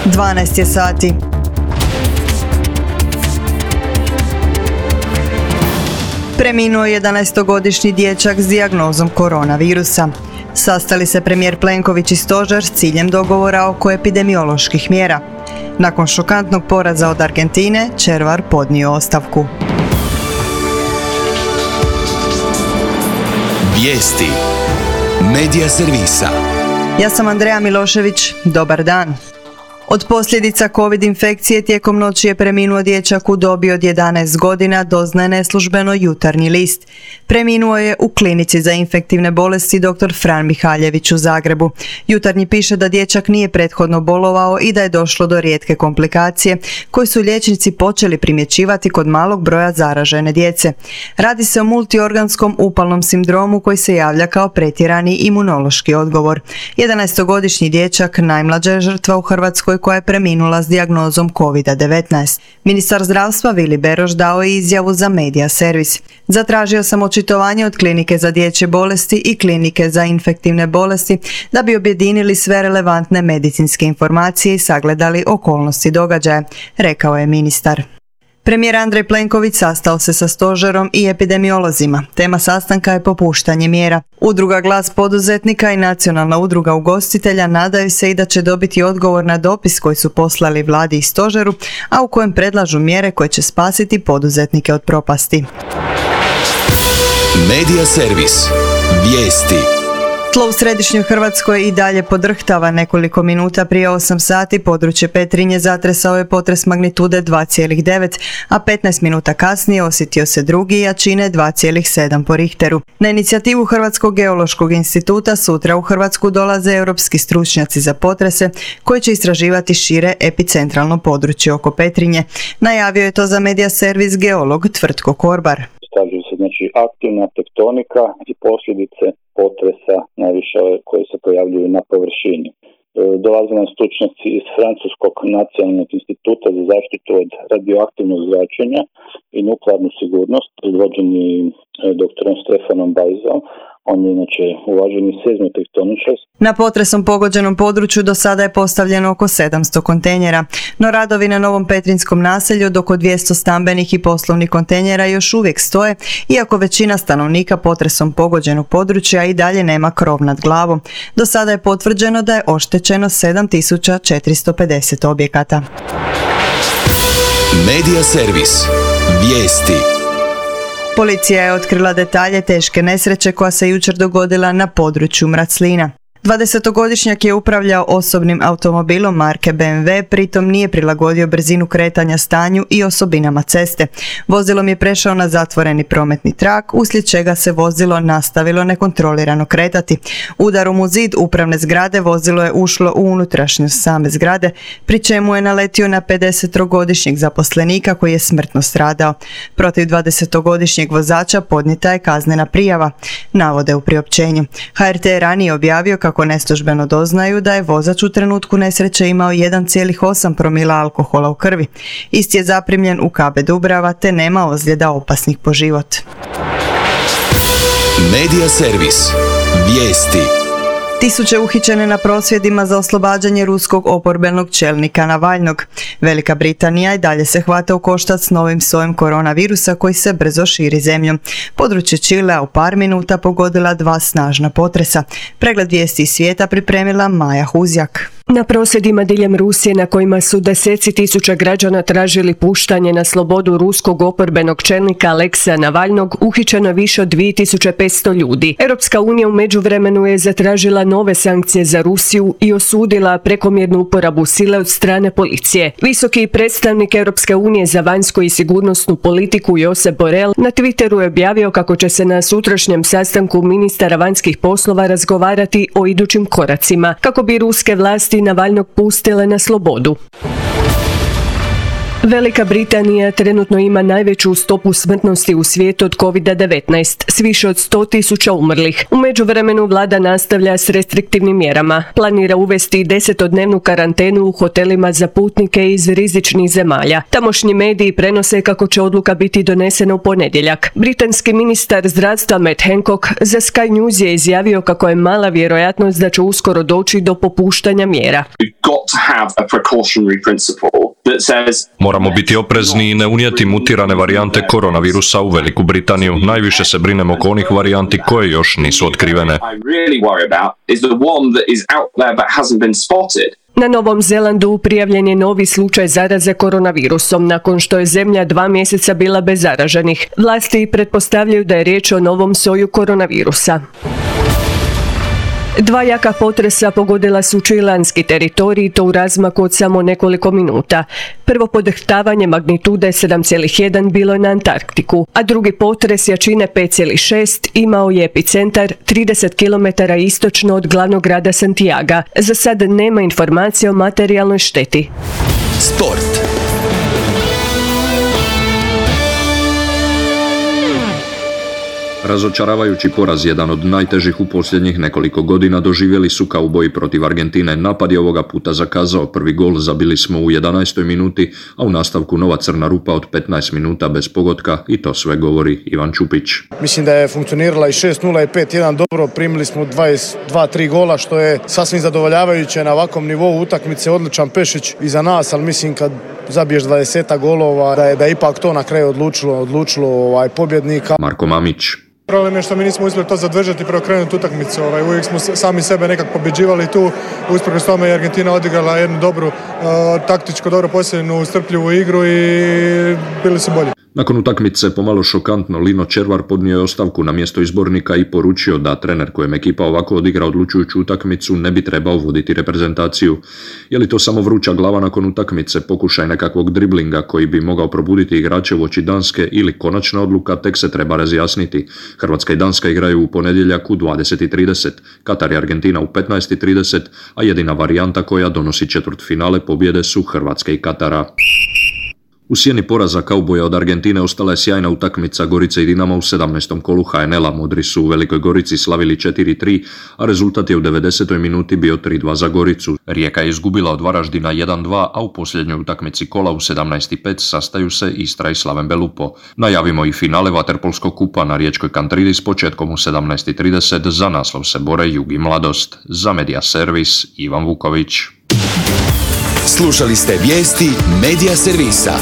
12 je sati. Preminuo je 11-godišnji dječak s dijagnozom koronavirusa. Sastali se premijer Plenković i stožer s ciljem dogovora oko epidemioloških mjera. Nakon šokantnog poraza od Argentine, Červar podnio ostavku. Vijesti Medija servisa. Ja sam Andreja Milošević, dobar dan. Od posljedica COVID infekcije tijekom noći je preminuo dječak u dobi od 11 godina, doznaje neslužbeno Jutarnji list. Preminuo je u klinici za infektivne bolesti dr. Fran Mihaljević u Zagrebu. Jutarnji piše da dječak nije prethodno bolovao i da je došlo do rijetke komplikacije koje su liječnici počeli primjećivati kod malog broja zaražene djece. Radi se o multiorganskom upalnom sindromu koji se javlja kao pretjerani imunološki odgovor. 11-godišnji dječak najmlađa je žrtva u Hrvatskoj koja je preminula s dijagnozom COVID-19. Ministar zdravstva Vili Beroš dao je izjavu za Medija servis. Zatražio sam očitovanje od Klinike za dječje bolesti i Klinike za infektivne bolesti da bi objedinili sve relevantne medicinske informacije i sagledali okolnosti događaja, rekao je ministar. Premijer Andrej Plenković sastao se sa stožerom i epidemiolozima. Tema sastanka je popuštanje mjera. Udruga Glas poduzetnika i Nacionalna udruga ugostitelja nadaju se i da će dobiti odgovor na dopis koji su poslali vladi i stožeru, a u kojem predlažu mjere koje će spasiti poduzetnike od propasti. Medija servis. Vijesti. Tlo u središnjoj Hrvatskoj i dalje podrhtava. Nekoliko minuta prije 8 sati područje Petrinje zatresao je potres magnitude 2,9, a 15 minuta kasnije osjetio se drugi jačine 2,7 po Richteru. Na inicijativu Hrvatskog geološkog instituta sutra u Hrvatsku dolaze europski stručnjaci za potrese koji će istraživati šire epicentralno područje oko Petrinje. Najavio je to za Medija servis geolog Tvrtko Korbar. Istražuju se aktivna tektonika i posljedice potresa, najviše koje se pojavljuju na površini. Dolaze nam stručnjaci iz Francuskog nacionalnog instituta za zaštitu od radioaktivnog zračenja i nuklearnu sigurnost, predvođeni doktorom Stefanom Bajzom. On je inače uvaženi seizmotektoničar. Na potresom pogođenom području do sada je postavljeno oko 700 kontejnera, no radovi na novom Petrinjskom naselju od oko 200 stambenih i poslovnih kontejnera još uvijek stoje, iako većina stanovnika potresom pogođenog područja i dalje nema krov nad glavom. Do sada je potvrđeno da je oštećeno 7450 objekata. Medija servis. Vijesti. Policija je otkrila detalje teške nesreće koja se jučer dogodila na području Mraclina. 20-godišnjak je upravljao osobnim automobilom marke BMW, pritom nije prilagodio brzinu kretanja stanju i osobinama ceste. Vozilom je prešao na zatvoreni prometni trak, uslijed čega se vozilo nastavilo nekontrolirano kretati. Udarom u zid upravne zgrade vozilo je ušlo u unutrašnjost same zgrade, pri čemu je naletio na 50-godišnjeg zaposlenika koji je smrtno stradao. Protiv 20-godišnjeg vozača podnijeta je kaznena prijava, navode u priopćenju. HRT je ranije objavio kako neslužbeno doznaju da je vozač u trenutku nesreće imao 1,8 promila alkohola u krvi. Isti je zaprimljen u KB Dubrava te nema ozljeda opasnih po život. Medija servis. Vijesti. Tisuće uhićene na prosvjedima za oslobađanje ruskog oporbenog čelnika Navalnog. Velika Britanija i dalje se hvata u koštac s novim sojem koronavirusa koji se brzo širi zemljom. Područje Čilea u par minuta pogodila 2 snažna potresa. Pregled vijesti iz svijeta pripremila Maja Huzjak. Na prosvjedima diljem Rusije na kojima su deseci tisuća građana tražili puštanje na slobodu ruskog oporbenog čelnika Alekseja Navalnog uhićeno više od 2500 ljudi. Europska unija u međuvremenu je zatražila nove sankcije za Rusiju i osudila prekomjernu uporabu sile od strane policije. Visoki predstavnik Europske unije za vanjsku i sigurnosnu politiku Josep Borrell na Twitteru je objavio kako će se na sutrašnjem sastanku ministara vanjskih poslova razgovarati o idućim koracima kako bi ruske vlasti Navalnog pustile na slobodu. Velika Britanija trenutno ima najveću stopu smrtnosti u svijetu od COVID-19, s više od 100.000 umrlih. U međuvremenu vlada nastavlja s restriktivnim mjerama. Planira uvesti 10-dnevnu karantenu u hotelima za putnike iz rizičnih zemalja. Tamošnji mediji prenose kako će odluka biti donesena u ponedjeljak. Britanski ministar zdravstva Matt Hancock za Sky News je izjavio kako je mala vjerojatnost da će uskoro doći do popuštanja mjera. Moramo biti oprezni i ne unijeti mutirane varijante koronavirusa u Veliku Britaniju. Najviše se brinemo oko onih varijanti koje još nisu otkrivene. Na Novom Zelandu prijavljen je novi slučaj zaraze koronavirusom nakon što je zemlja 2 mjeseca bila bez zaraženih. Vlasti pretpostavljaju da je riječ o novom soju koronavirusa. 2 jaka potresa pogodila su čileanski teritorij i to u razmaku od samo nekoliko minuta. Prvo podrhtavanje magnitude 7,1 bilo je na Antarktiku, a drugi potres jačine 5,6 imao je epicentar 30 km istočno od glavnog grada Santiaga. Za sad nema informacija o materijalnoj šteti. Sport. Razočaravajući poraz, jedan od najtežih u posljednjih nekoliko godina, doživjeli su kauboji protiv Argentine. Napad je ovoga puta zakazao. Prvi gol zabili smo u 11. minuti, a u nastavku nova crna rupa od 15 minuta bez pogotka i to sve govori Ivan Čupić. Mislim da je funkcionirala i 6-0 i 5-1 dobro, primili smo 22-3 gola što je sasvim zadovoljavajuće na ovakvom nivou utakmice, odličan Pešić iza nas, ali mislim kad zabiješ 20 golova da je ipak to na kraju odlučilo pobjednika. Marko Mamić. Problem je što mi nismo uspjeli to zadržati i preokrenuti utakmicu. Uvijek smo sami sebe nekako pobjeđivali tu. Usprkos tome je Argentina odigrala jednu dobru, taktičko dobro posljednju, strpljivu igru i bili su bolji. Nakon utakmice pomalo šokantno Lino Červar podnio je ostavku na mjesto izbornika i poručio da trener kojem ekipa ovako odigra odlučujuću utakmicu ne bi trebao voditi reprezentaciju. Je li to samo vruća glava nakon utakmice, pokušaj nekakvog driblinga koji bi mogao probuditi igrače uoči Danske ili konačna odluka, tek se treba razjasniti. Hrvatska i Danska igraju u ponedjeljak u 20:30, Katar i Argentina u 15:30, a jedina varijanta koja donosi četvrtfinale pobjede su Hrvatske i Katara. U sjeni poraza kauboja od Argentine ostala je sjajna utakmica Gorice i Dinama u 17. kolu HNL-a. Modri su u Velikoj Gorici slavili 4-3, a rezultat je u 90. minuti bio 3-2 za Goricu. Rijeka je izgubila od Varaždina 1-2, a u posljednjoj utakmici kola u 17:05 sastaju se Istra i Slaven Belupo. Najavimo i finale Vaterpolskog kupa na riječkoj Kantridi s početkom u 17:30. Za naslov se bore Jug i Mladost. Za Media Servis Ivan Vuković. Slušali ste vijesti Media Servisa.